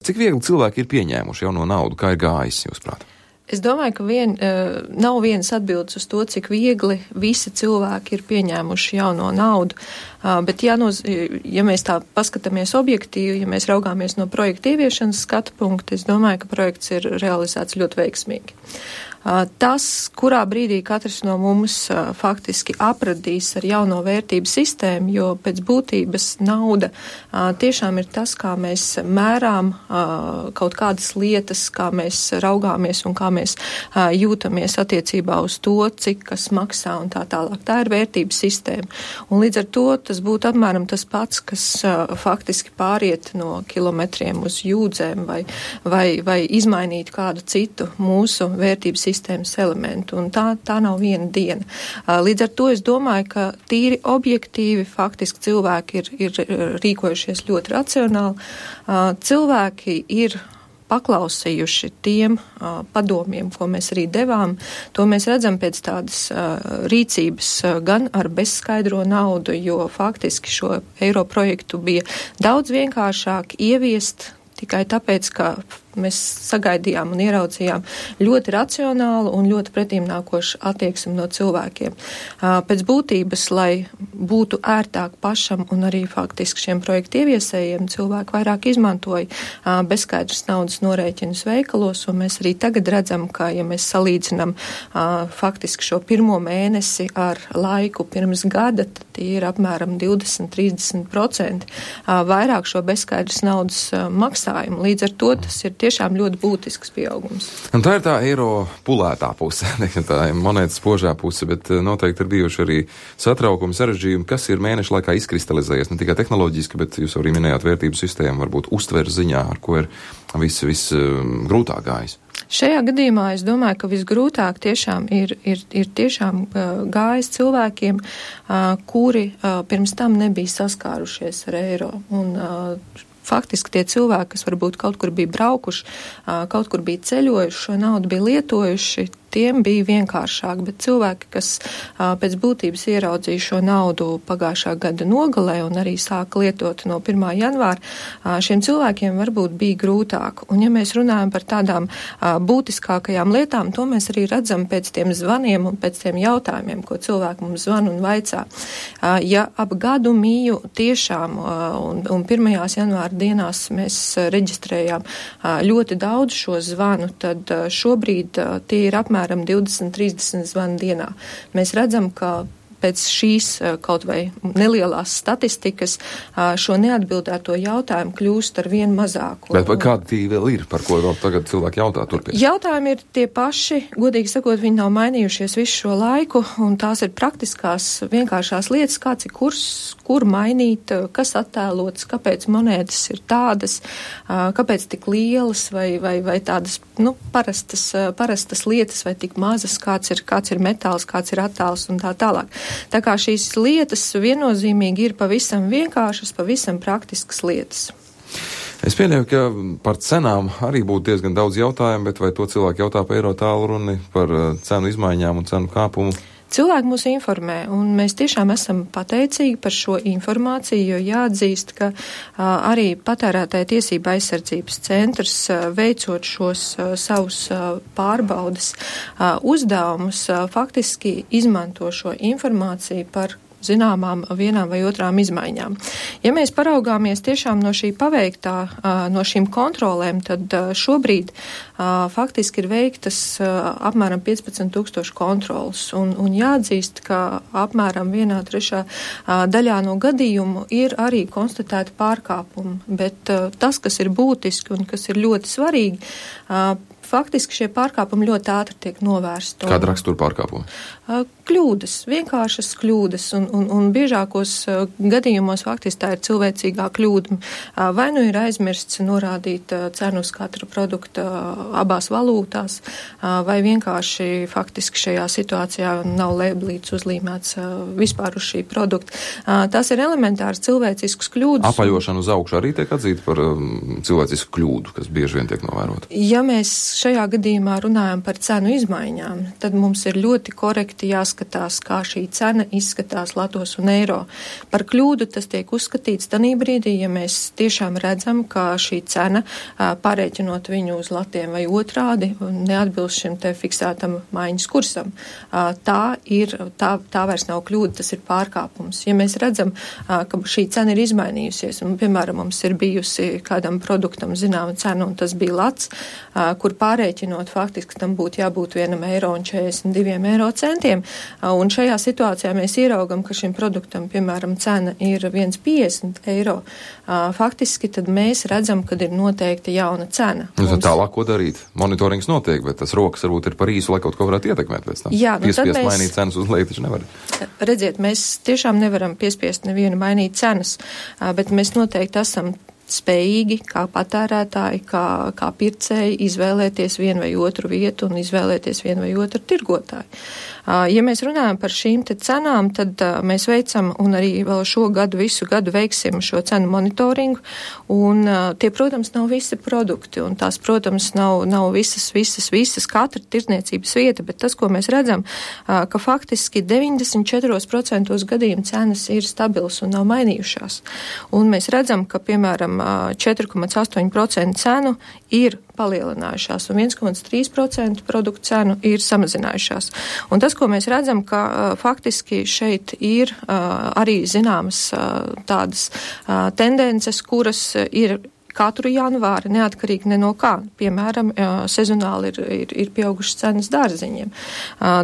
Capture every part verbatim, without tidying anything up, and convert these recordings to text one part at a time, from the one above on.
Cik viegli cilvēki ir pieņēmuši jauno naudu, kā ir gājis, jūsuprāt? Es domāju, ka vien, nav vienas atbildes uz to, cik viegli visi cilvēki ir pieņēmuši jauno naudu, bet ja, noz, ja mēs tā paskatāmies objektīvi, ja mēs raugāmies no projekta ieviešanas skatu punkta, es domāju, ka projekts ir realizēts ļoti veiksmīgi. Tas, kurā brīdī katrs no mums faktiski apradīs ar jauno vērtību sistēmu, jo pēc būtības nauda tiešām ir tas, kā mēs mērām kaut kādas lietas, kā mēs raugāmies un kā mēs jūtamies attiecībā uz to, cik kas maksā un tā tālāk. Tā ir vērtības sistēma. Un līdz ar to tas būtu apmēram tas pats, kas faktiski pāriet no kilometriem uz jūdzēm vai, vai, vai izmainīt kādu citu mūsu vērtības sistēmas elementu, un tā, tā nav viena diena. Līdz ar to es domāju, ka tīri objektīvi faktiski cilvēki ir, ir rīkojušies ļoti racionāli. Cilvēki ir paklausījuši tiem uh, padomiem, ko mēs arī devām. To mēs redzam pēc tādas uh, rīcības uh, gan ar bezskaidro naudu, jo faktiski šo eiro projektu bija daudz vienkāršāk ieviest tikai tāpēc, ka mēs sagaidījām un ieraudzījām ļoti racionālu un ļoti pretīmnākošu attieksmi no cilvēkiem. Pēc būtības, lai būtu ērtāk pašam un arī faktiski šiem projektu ieviesējiem, cilvēki vairāk izmantoja bezskaidras naudas norēķinus veikalos, un mēs arī tagad redzam, ka, ja mēs salīdzinām faktiski šo pirmo mēnesi ar laiku pirms gada, tad ir apmēram divdesmit līdz trīsdesmit procenti vairāk šo bezskaidras naudas maksājumu. Līdz ar to tas ir tiešām ļoti būtisks pieaugums. Un tā ir tā eiro pulētā puse, tā ir monētas spožā puse, bet noteikti ir bijuši arī satraukumi, sarežģījumi, kas ir mēneša laikā izkristalizējies, ne tikai tehnoloģiski, bet jūs arī minējāt vērtību sistēmu, varbūt uztveres ziņā, ar ko ir viss vis, grūtāk gājis. Šajā gadījumā es domāju, ka visgrūtāk tiešām ir, ir, ir tiešām uh, gājis cilvēkiem, uh, kuri uh, pirms tam nebija saskārušies ar eiro. Un, uh, Faktiski tie cilvēki, kas varbūt kaut kur bija braukuši, kaut kur bija ceļojuši, šo naudu bija lietojuši, tiem bija vienkāršāk, bet cilvēki, kas pēc būtības ieraudzīja šo naudu pagājušā gada nogalē un arī sāka lietot no pirmā janvāra, šiem cilvēkiem varbūt bija grūtāk. Un ja mēs runājam par tādām būtiskākajām lietām, to mēs arī redzam pēc tiem zvaniem un pēc tiem jautājumiem, ko cilvēki mums zvan un vaicā. Ja ap gadu mīju tiešām un, un pirmajās janvāra dienās mēs reģistrējām ļoti daudz šo zvanu, tad šobrīd tie ir apmēram divdesmit līdz trīsdesmit zvanu dienā. Mēs redzam, ka pēc šīs kaut vai nelielās statistikas šo neatbildēto jautājumu kļūst ar vien mazāku. Bet kādi tī vēl ir, par ko vēl tagad cilvēki jautā turpēc? Jautājumi ir tie paši, godīgi sakot, viņi nav mainījušies visu šo laiku, un tās ir praktiskās, vienkāršās lietas, kāds ir kurs, kur mainīt, kas attēlots, kāpēc monētas ir tādas, kāpēc tik lielas vai, vai, vai tādas, nu, parastas, parastas lietas vai tik mazas, kāds ir, kāds ir metāls, kāds ir attēls un tā tālāk. Tā kā šīs lietas viennozīmīgi ir pavisam vienkāršas, pavisam praktiskas lietas. Es pieļauju, ka par cenām arī būtu diezgan daudz jautājumu, bet vai to cilvēki jautā par eiro tālruni, par cenu izmaiņām un cenu kāpumu? Cilvēki mūs informē, un mēs tiešām esam pateicīgi par šo informāciju, jo jāatzīst, ka a, arī patērētāja tiesība aizsardzības centrs, a, veicot šos a, savus a, pārbaudas a, uzdevumus, a, faktiski izmanto šo informāciju par zināmām vienām vai otrām izmaiņām. Ja mēs paraugāmies tiešām no šī paveiktā, no šīm kontrolēm, tad šobrīd faktiski ir veiktas apmēram piecpadsmit tūkstoši kontrolas. Un, un jāatzīst, ka apmēram vienā trešā daļā no gadījumu ir arī konstatēti pārkāpumi. Bet tas, kas ir būtiski un kas ir ļoti svarīgi, faktiski šie pārkāpumi ļoti ātri tiek novērsti. Kāda rakstura pārkāpumi? Kļūdas, vienkāršas kļūdas, un, un, un biežākos uh, gadījumos faktiski tā ir cilvēcīgā kļūda. Uh, vai nu ir aizmirsts norādīt uh, cenu uz katra produkta uh, abās valūtās, uh, vai vienkārši faktiski šajā situācijā nav lēblīts uzlīmēts uh, vispār uz šī produkta. Uh, tās ir elementāras cilvēciskas kļūdas. Apaļošana uz augšu arī tiek atzīta par um, cilvēcisku kļūdu, kas bieži vien tiek novērota. Ja mēs šajā gadījumā runājam par cenu izmaiņām, tad mums ir ļoti korekti jāskatās, kā šī cena izskatās latos un eiro. Par kļūdu tas tiek uzskatīts tanī brīdī, ja mēs tiešām redzam, ka šī cena, pārēķinot viņu uz latiem vai otrādi, neatbilst šim te fiksētam maiņas kursam. Tā ir, tā, tā vairs nav kļūda, tas ir pārkāpums. Ja mēs redzam, ka šī cena ir izmainījusies, un, piemēram, mums ir bijusi kādam produktam zināma cena, un tas bija lats, kur pārēķinot faktiski tam būtu jābūt vienam eiro un četrdesmit diviem eiro centiem, un šajā situācijā mēs ieraugam, ka šim produktam, piemēram, cena ir viens piecdesmit eiro, faktiski tad mēs redzam, kad ir noteikta jauna cena. Nu, tad tālāk, ko darīt? Monitorings notiek, bet tas rokas varbūt ir par īsu, lai kaut ko varētu ietekmēt pēc tam. Jā, nu piespiest mēs, mainīt cenas uz leju, taču nevar. Redziet, mēs tiešām nevaram piespiest nevienu mainīt cenas, bet mēs noteikti esam spējīgi, kā patērētāji, kā, kā pircēji, izvēlēties vienu vai otru vietu un izvēlēties vienu vai otru tirgotāju. Ja mēs runājam par šīm te cenām, tad mēs veicam un arī vēl šo gadu, visu gadu veiksim šo cenu monitoringu, un tie, protams, nav visi produkti, un tās, protams, nav, nav visas, visas, visas katra tirdzniecības vieta, bet tas, ko mēs redzam, ka faktiski deviņdesmit četri procenti gadījumu cenas ir stabilas un nav mainījušās. Un mēs redzam, ka, piemēram, četri komats astoņi procenti cenu ir palielinājušās, un viens komats trīs procenti produktu cenu ir samazinājušās. Un tas, ko mēs redzam, ka uh, faktiski šeit ir uh, arī zināmas uh, tādas uh, tendences, kuras uh, ir katru janvāri neatkarīgi ne no kā. Piemēram, sezonāli ir, ir, ir pieaugušas cenas dārziņiem.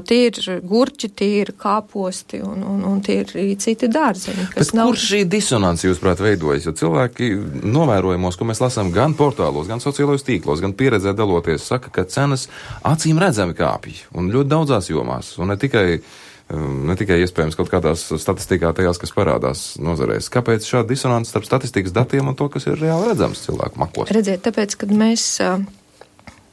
Tie ir gurķi, tie ir kāposti un, un, un tie ir arī citi dārziņi. Bet nav... kur šī disonance, jūsuprāt, veidojas? Jo cilvēki novērojumos, ko mēs lasām gan portālos, gan sociālajos tīklos, gan pieredzē daloties, saka, ka cenas acīm redzami kāpj un ļoti daudzās jomās. Un ne tikai ne tikai iespējams kaut kādās statistikā tajās, kas parādās nozarēs. Kāpēc šāda disonance starp statistikas datiem un to, kas ir reāli redzams cilvēku makos? Redziet, tāpēc, kad mēs uh,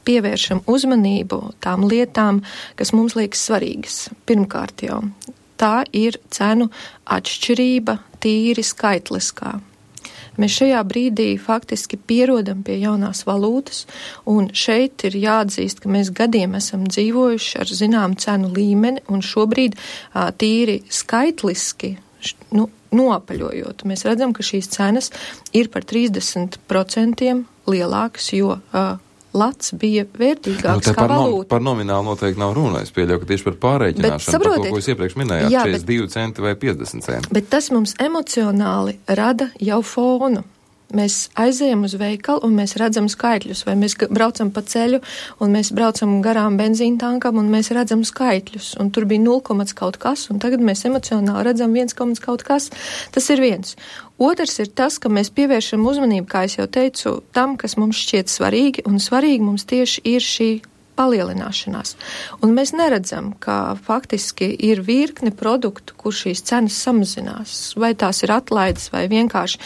pievēršam uzmanību tām lietām, kas mums liekas svarīgas. Pirmkārt jau, tā ir cenu atšķirība tīri skaitliskā. Mēs šajā brīdī faktiski pierodam pie jaunās valūtas, un šeit ir jāatzīst, ka mēs gadiem esam dzīvojuši ar zinām cenu līmeni, un šobrīd ā, tīri skaitliski, nu, noapaļojot, mēs redzam, ka šīs cenas ir par trīsdesmit procentiem lielākas, jo ā, lats bija vērtīgāks nu, kā par valūta. No, par nominālu noteikti nav runa. Es pieļauju, ka tieši par pārreikināšanu, par to, ko jūs iepriekš minējāt, jā, četrdesmit divi centi vai piecdesmit centi. Bet tas mums emocionāli rada jau fonu. Mēs aizējam uz veikalu un mēs redzam skaitļus, vai mēs braucam pa ceļu un mēs braucam garām benzīna tankam un mēs redzam skaitļus. Un tur bija nulle komats kaut kas, un tagad mēs emocionāli redzam viens komats kaut kas. Tas ir viens. Otrs ir tas, ka mēs pievēršam uzmanību, kā es jau teicu, tam, kas mums šķiet svarīgi, un svarīgi mums tieši ir šī palielināšanās. Un mēs neredzam, ka faktiski ir virkne produktu, kur šīs cenas samazinās. Vai tās ir atlaides, vai vienkārši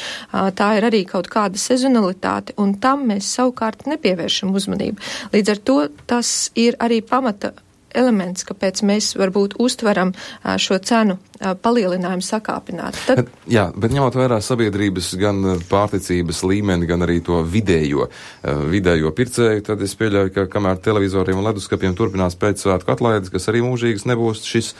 tā ir arī kaut kāda sezonalitāte, un tam mēs savukārt nepievēršam uzmanību. Līdz ar to tas ir arī pamata elements, kāpēc mēs varbūt uztveram šo cenu palielinājumu sakāpināt. Tad... Bet, jā, bet ņemot vērā sabiedrības gan pārticības līmeni, gan arī to vidējo, vidējo pircēju, tad es pieļauju, ka kamēr televizoriem un leduskapiem turpinās pēcsvētku atlaides, kas arī mūžīgas nebūs, šis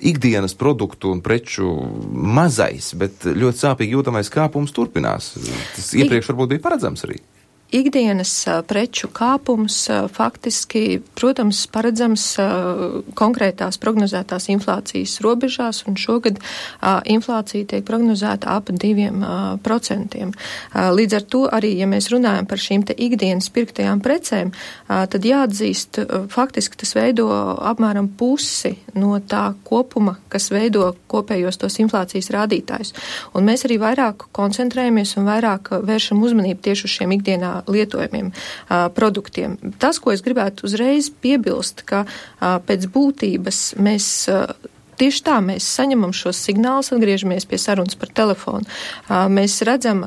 ikdienas produktu un preču mazais, bet ļoti sāpīgi jūtamais kāpums turpinās. Tas iepriekš varbūt bija paredzams arī. Ikdienas preču kāpums faktiski, protams, paredzams konkrētās prognozētās inflācijas robežās, un šogad inflācija tiek prognozēta ap diviem procentiem. Līdz ar to arī, ja mēs runājam par šīm te ikdienas pirktajām precēm, tad jāatzīst, faktiski tas veido apmēram pusi no tā kopuma, kas veido kopējos tos inflācijas rādītājus. Un mēs arī vairāk koncentrējamies un vairāk vēršam uzmanību tieši uz šiem ikdienā lietojumiem uh, produktiem. Tas, ko es gribētu uzreiz piebilst, ka uh, pēc būtības mēs uh, tieši tā, mēs saņemam šos signālus, atgriežamies pie sarunas par telefonu. Mēs redzam,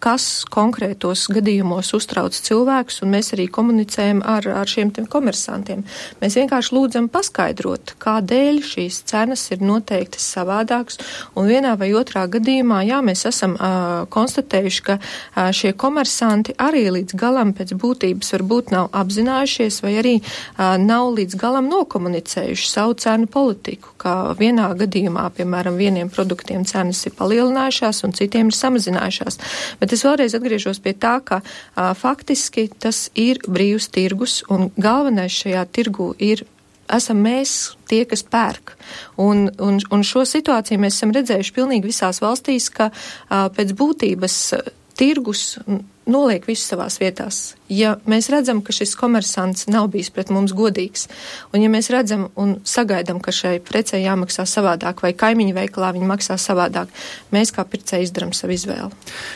kas konkrētos gadījumos uztrauc cilvēkus, un mēs arī komunicējam ar, ar šiem komersantiem. Mēs vienkārši lūdzam paskaidrot, kādēļ šīs cenas ir noteikti savādākas, un vienā vai otrā gadījumā, jā, mēs esam uh, konstatējuši, ka uh, šie komersanti arī līdz galam pēc būtības varbūt nav apzinājušies, vai arī uh, nav līdz galam nokomunicējuši savu cenu politiku, ka vienā gadījumā, piemēram, vieniem produktiem cenas ir palielinājušās un citiem ir samazinājušās. Bet es vēlreiz atgriežos pie tā, ka a, faktiski tas ir brīvs tirgus un galvenais šajā tirgu ir esam mēs tie, kas pērk. Un, un, un šo situāciju mēs esam redzējuši pilnīgi visās valstīs, ka a, pēc būtības a, tirgus noliek visu savās vietās. Ja mēs redzam, ka šis komersants nav bijis pret mums godīgs, un ja mēs redzam un sagaidām, ka šai precei jāmaksā savādāk, vai kaimiņu veikalā viņi maksā savādāk, mēs kā pircēji izdarām savu izvēli.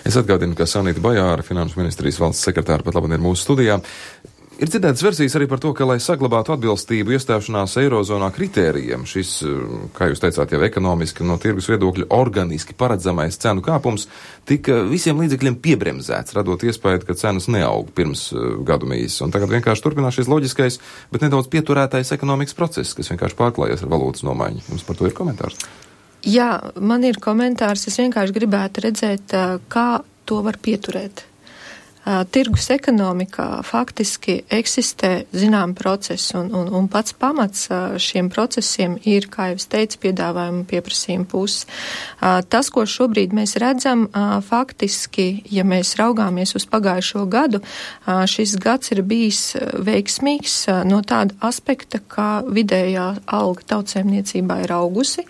Es atgādinu, ka Sanita Bajāra, Finanšu ministrijas valsts sekretāra, pat labi ir mūsu studijā. Ir dzirdētas versijas arī par to, ka, lai saglabātu atbilstību iestāšanās Eirozonā kritērijiem, šis, kā jūs teicāt, jau ekonomiski no tirgus viedokļa organiski paredzamais cenu kāpums tika visiem līdzekļiem piebremzēts, radot iespēju, ka cenas neaug pirms gadu mīs. Un tagad vienkārši turpinās šis loģiskais, bet nedaudz pieturētais ekonomikas process, kas vienkārši pārklājas ar valūtas nomaiņu. Jums par to ir komentārs? Jā, man ir komentārs. Es vienkārši gribētu redzēt, kā to var pieturēt. Tirgus ekonomikā faktiski eksistē zinām procesi, un, un, un pats pamats šiem procesiem ir, kā jau es teicu, piedāvājuma pieprasījuma puses. Tas, ko šobrīd mēs redzam, faktiski, ja mēs raugāmies uz pagājušo gadu, šis gads ir bijis veiksmīgs no tāda aspekta, ka vidējā alga tautsēmniecībā ir augusi,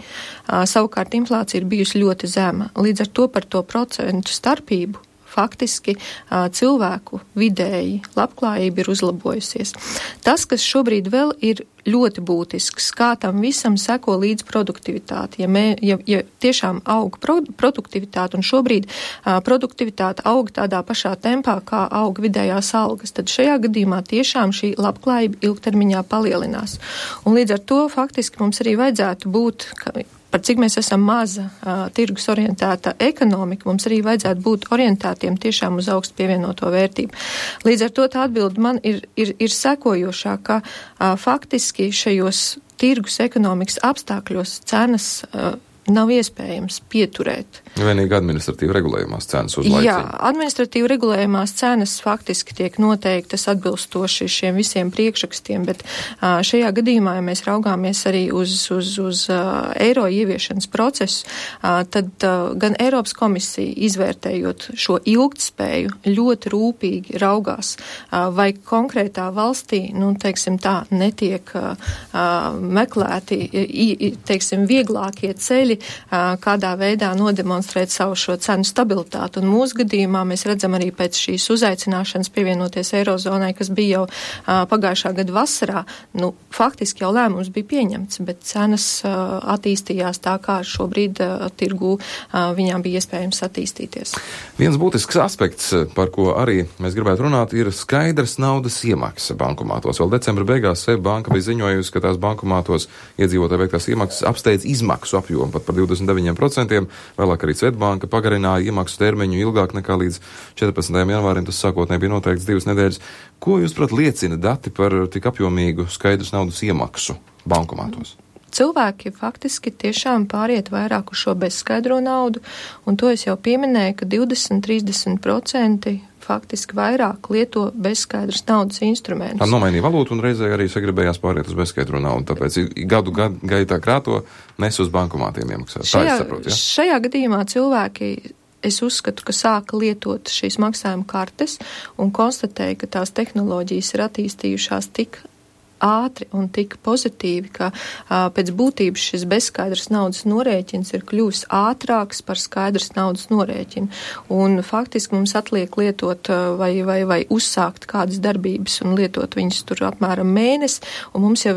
savukārt inflācija ir bijusi ļoti zema. Līdz ar to par to procentu starpību faktiski cilvēku vidēji labklājība ir uzlabojusies. Tas, kas šobrīd vēl ir ļoti būtisks, kā tam visam seko līdz produktivitāti. Ja, mē, ja, ja tiešām aug pro, produktivitāte, un šobrīd a, produktivitāte aug tādā pašā tempā, kā aug vidējās algas, tad šajā gadījumā tiešām šī labklājība ilgtermiņā palielinās. Un līdz ar to faktiski mums arī vajadzētu būt, ka, par cik mēs esam maza uh, tirgus orientēta ekonomika, mums arī vajadzētu būt orientētiem tiešām uz augstu pievienoto vērtību. Līdz ar to tā atbilde man ir, ir, ir sekojošā, ka uh, faktiski šajos tirgus ekonomikas apstākļos cenas uh, nav iespējams pieturēt. Vienīgi administratīvi regulējumās cenas uz laiku. Jā, administratīvi regulējumās cenas faktiski tiek noteiktas atbilstoši šiem visiem priekšrakstiem, bet uh, šajā gadījumā, ja mēs raugāmies arī uz, uz, uz uh, eiro ieviešanas procesu, uh, tad uh, gan Eiropas komisija, izvērtējot šo ilgtspēju, ļoti rūpīgi raugās, uh, vai konkrētā valstī, nu, teiksim tā, netiek uh, meklēti, i, teiksim, vieglākie ceļi, kādā veidā nodemonstrēt savu šo cenu stabilitāti. Un mūsu gadījumā mēs redzam arī pēc šīs uzaicināšanas pievienoties Eirozonai, kas bija jau uh, pagājušā gada vasarā, nu, faktiski jau lēmums bija pieņemts, bet cenas uh, attīstījās tā, kā šobrīd uh, tirgū uh, viņām bija iespējams attīstīties. Viens būtisks aspekts, par ko arī mēs gribētu runāt, ir skaidrs naudas iemaksa bankomātos. Vēl decembra beigās SEB banka bija ziņojusi, ka tās bankomātos iedzīvotāji veiktās iemaksas apsteidz izmaksu apjomu pat par divdesmit deviņiem procentiem, vēlāk arī Svetbanka pagarināja iemaksu termiņu ilgāk nekā līdz četrpadsmitajam janvārim, tas sākotnēji bija noteikts divas nedēļas. Ko jūs, prāt, liecina dati par tik apjomīgu skaidrs naudas iemaksu bankomātos? Cilvēki faktiski tiešām pāriet vairāk uz šo bezskaidro naudu, un to es jau pieminēju, ka divdesmit līdz trīsdesmit procenti faktiski vairāk lieto bezskaidras naudas instrumentus. Tā nomainīja valūtu un reizē arī sagribējās pāriet uz bezskaidro naudu, tāpēc gadu gadu gaitā krāto nes uz bankomātiem iemaksāt. Tā es saprotu, ja? Šajā gadījumā cilvēki, es uzskatu, ka sāka lietot šīs maksājuma kartes un konstatēja, ka tās tehnoloģijas ir attīstījušās tik ātri un tik pozitīvi, ka a, pēc būtības šis bezskaidrs naudas norēķins ir kļuvis ātrāks par skaidrs naudas norēķinu. Un faktiski mums atliek lietot vai, vai, vai uzsākt kādas darbības un lietot viņas tur apmēram mēnesi, un mums jau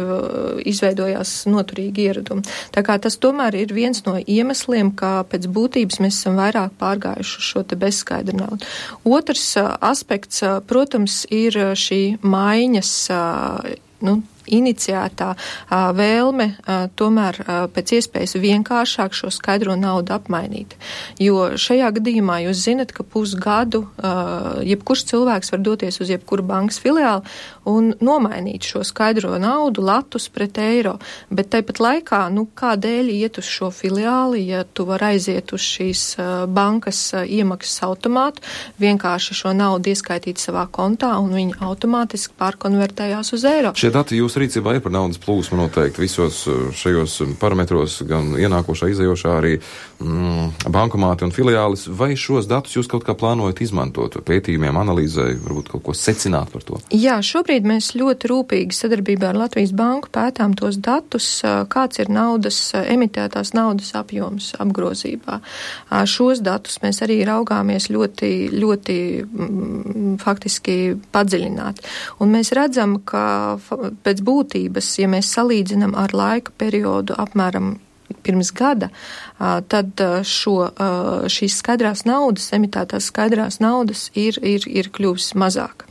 izveidojās noturīgi ieradumi. Tā kā tas tomēr ir viens no iemesliem, kā pēc būtības mēs esam vairāk pārgājuši šo te bezskaidru naudu. Otrs a, aspekts, a, protams, ir šī maiņas, nu, iniciētā vēlme tomēr pēc iespējas vienkāršāk šo skaidro naudu apmainīt. Jo šajā gadījumā jūs zinat, ka pusgadu jebkurš cilvēks var doties uz jebkuru bankas filiāli un nomainīt šo skaidro naudu latus pret eiro. Bet tāpat laikā, nu, kādēļ iet uz šo filiāli, ja tu var aiziet uz šīs bankas iemaksas automātu, vienkārši šo naudu ieskaitīt savā kontā un viņi automātiski pārkonvertējās uz eiro. Šie dati jūsu rīcībā ir par naudas plūsmu noteikti visos šajos parametros, gan ienākošā, izējošā, arī mm, bankomāti un filiālis. Vai šos datus jūs kaut kā plānojat izmantot pētījumiem, analīzē, varbūt kaut ko secināt par to? Jā, šobrīd mēs ļoti rūpīgi sadarbībā ar Latvijas banku pētām tos datus, kāds ir naudas, emitētās naudas apjoms apgrozībā. Šos datus mēs arī raugāmies ļoti, ļoti mm, faktiski padziļināt. Un mēs redzam, ka pēc būtības, ja mēs salīdzinām ar laika periodu apmēram pirms gada, tad šo, šīs skaidrās naudas, emitētās skaidrās naudas ir, ir, ir kļuvis mazāk.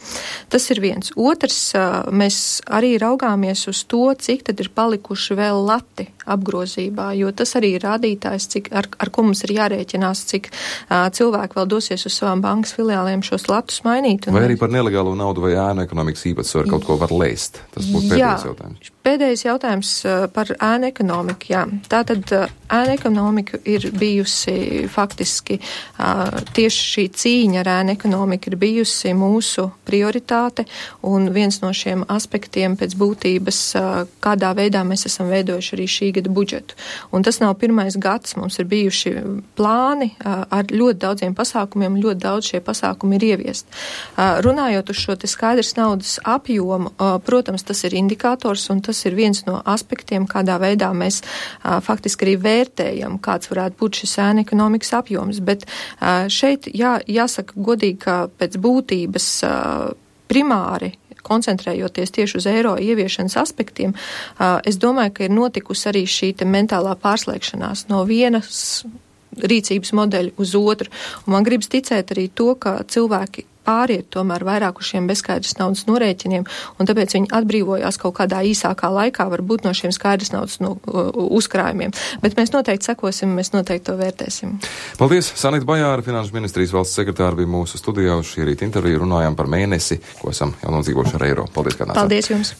Tas ir viens. Otrs, mēs arī raugāmies uz to, cik tad ir palikuši vēl lati apgrozībā, jo tas arī ir rādītājs, cik, ar, ar ko mums ir jārēķinās, cik uh, cilvēki vēl dosies uz savām bankas filiāliem šos latus mainīt. Vai arī par nelegālo naudu vai ēnu ekonomikas īpatsvaru kaut ko var lēst? Tas būtu pēdējais jā, jautājums. Pēdējais jautājums uh, par ēnu ekonomiku, jā. Tātad uh, ēnu ekonomika ir bijusi faktiski, uh, tieši šī cīņa ar ēnu ekonomiku ir bijusi mūsu prioritāte, un viens no šiem aspektiem pēc būtības, uh, kādā veidā mēs esam veidojuši arī šī gada budžetu. Un tas nav pirmais gads, mums ir bijuši plāni uh, ar ļoti daudziem pasākumiem, ļoti daudz šie pasākumi ir ieviest. Uh, runājot uz šo te skaidrs naudas apjomu, uh, protams, tas ir indikators, un tas ir viens no aspektiem, kādā veidā mēs uh, faktiski arī vērtējam, kāds varētu būt šis ēnu ekonomikas apjoms. Bet uh, šeit jā, jāsaka godīgi, ka pēc būtības uh, primāri koncentrējoties tieši uz eiro ieviešanas aspektiem, es domāju, ka ir notikusi arī šī te mentālā pārslēgšanās no vienas rīcības modeļa uz otru. Un man gribas ticēt arī to, ka cilvēki pāriet tomēr vairāk uz šiem bezskaidras naudas norēķiniem, un tāpēc viņi atbrīvojās kaut kādā īsākā laikā, varbūt no šiem skaidras naudas no, uzkrājumiem. Bet mēs noteikti sekosim, mēs noteikti to vērtēsim. Paldies! Sanita Bajāra, Finanšu ministrijas valsts sekretāra, bija mūsu studijā uz šī rīta interviju. Runājām par mēnesi, ko esam jau nodzīvojuši ar eiro. Paldies, kā nācāt. Paldies jums!